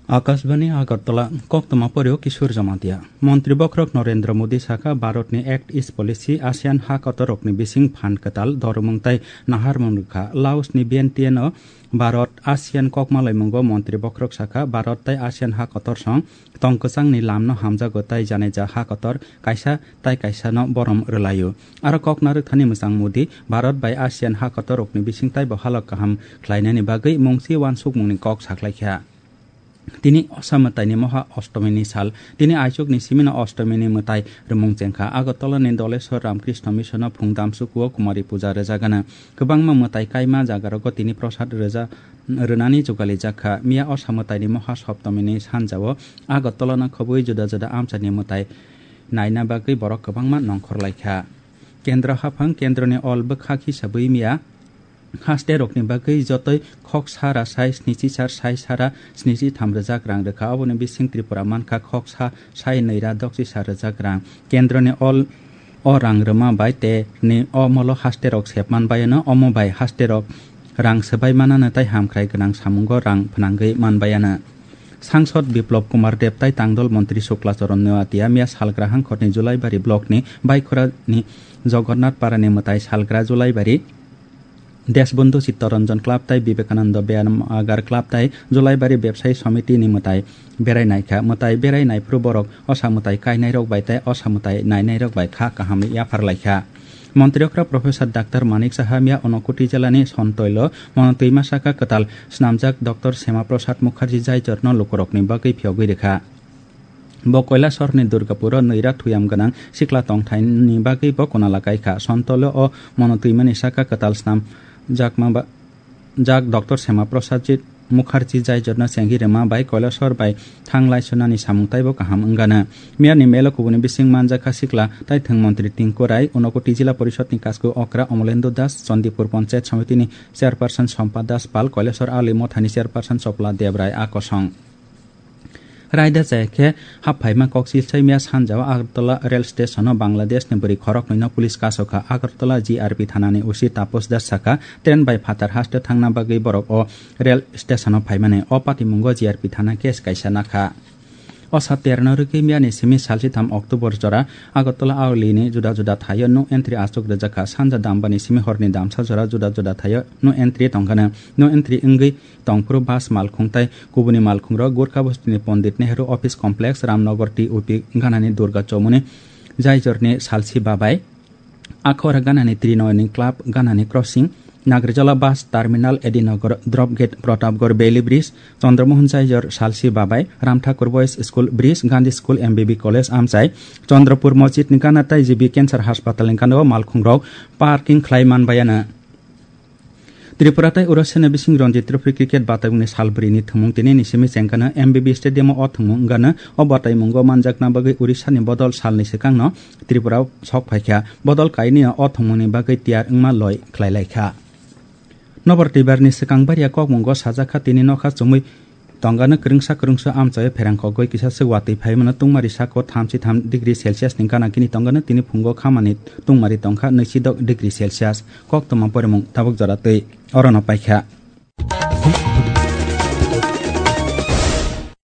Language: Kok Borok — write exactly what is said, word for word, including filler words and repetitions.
Akashbani Agartala, koktwma poryo Kishore Jamatia. Montri bokhorok Narendra Modi sakha, Bharatni Act East Policy, ASEAN ha kotorrokni bising phan kwtal dormung tei naharmung rwkha. Laosni Vientiane-o Bharat ASEAN kokmalaimungo montri bokhorok sakha, Bharat tei ASEAN ha kotor song tong kwchangni lamno hamjago tei janija ha kotor kaisa tai kaisano borom rwlaio. Aro kok narwkthani mwchang Modi, Bharat bai ASEAN ha kotorrokni bising taibo halok kaham khlainani bagwi mungsi uansukmungni kok saklaikha. Tini Osa mwtaini Moha Ostomini sal. Tini aichukni simino Ostomini mwtai rwmung chengkha. Agartalani Doleswar Ramkrishna Missiono phung damsukuo Kumari puja rwjagana. Kwbangma mwtai kaima jagarogo tini prosad rwja-, rwnani jugalijak kha. Miya Osa mwtaini Moha Soptomini sanjao Agartalano khobwi juda juda amchaini mwtai naina bagwi borok kwbangma nongkhorlaikha. Kendra haphang, kendroni ol bwkhak hisabwi miya haste rokni bagwi jotoi khok sara sai snichi sar sai sara snichi tham rwjak rang rwkha. Oboni bising Tripura mankha khok sa sai nwi ra dokchi sar rwjak rang. Kendroni ol o rang rwma bai te ni o molo haste rok sep man bayano, omo bai haste rok rang swbai manano tei hamkrai gwnang samungo rang phnangwi man bayano. Sangsod Biplop Kumar Deb tai tangdol montri Sukla Charan Noatia miya salgra hangkhorni Julaibari blockni Baikhorani Jogornath Parani mwtai salgra Julaibari Deshbandhu Chittaranjan Club tai Vivekananda Byayam Agar Club tai Julaibari Bebsayi Somitini mwtai berai naikha. Mwtai berai naiphuru borok osa mwtai kainairok bai tai osa mwtai nainairok bai kha kahamwi yapharlaikha. Montri okra Professor Doctor Manik Saha miya Unakoti jilani Sontoilo mono twima saka kwtal snamjak Doctor Shyama Prasad Mukherjee jaitorno lukurokni bagwi phiyogwi rwkha. Bo Kailasahorni Durgapuro nwi ra thuyam gwnang sikla tongthaini bagwi bo kunala kaikha. Sontolo o mono twimani saka kwtal snam jakma ba-, jak Doctor Shyama Prasad Mukherjee jaitorno chengwi rwma bai Kailasahor bai thang laisunani samung taibo kaham wngano. Miyani melo kubuni bising manjakha sikla taithwng montri Tinku Rai, Unakoti Jila Porishodni kasku okra Omolendra Das, Chandipur Panchayat Somitini Chairperson Sompa Das Pal, Kailasahor Ali Mothani Chairperson Chopla Debrai a kosong. Raida chaya khe hap phaima kok silsai miya sanjao Agartala rail stationo Bangladeshni bwrwi khoroknwino police kasokha. Agartala G R P thanani O C Taposh Das sakha, train bai phatar haste thangna bagwi borok o rail stationo phaimani. O patimungo G R P thana case kaisa nakha. O sa terno rwgwi miyani simi salsitham October jora Agartala Aolini juda juda thaio no entry aswk rwjakha. Sanja Dambani simi horni damsa jora juda juda thaio no entry tongkhano. No entry wngwi tongphuru bus malkhung tai kubuni malkhungrok Gurkha Bostini Pondit Nehru Office Complex, Ramnagar T O P ganani Durga Chowmuni jaitorni salsi babai, Akhora ganani Trinoyoni Club ganani crossing, Nagrijala bus terminal, Edinagar drop gate, Pratapgarh Bailey Bridge, Chandramohan Jaijor salsi babai, Ramthakur Boys School Bridge, Gandhi School M B B College amchai, Chandrapur Masjidni gana tai G B Cancer Hospitalni gana o malkhungrok parking khlai manbayana. Tripura tai Orissa ni bising Ranji Trophy cricket bataimungni sal bwrwini thwngmung tini ni simi chengkano M B B Stadium o thwngmung wngkano. O bataimungo manjakna bagwi Orissa ni bodol salni swkangno Tripura o sok phaikha. Bodol kainwi o thwngmungni bagwi tiyar wngma loi khlailaikha. Nobar twibarni swkang baria kokmungo sajakha tini nokha chumui Tongano kwrwngsa kwrwngsa amchaio pherang kogwi kisa swk watwi phaimano tungmari sako thamchi tham degree Celsius ni gana gini tongano tini phungo khamani tungmari tongkha nwichi dok degree Celsius. Koktwma porimung tabuk jora twi orono paikha.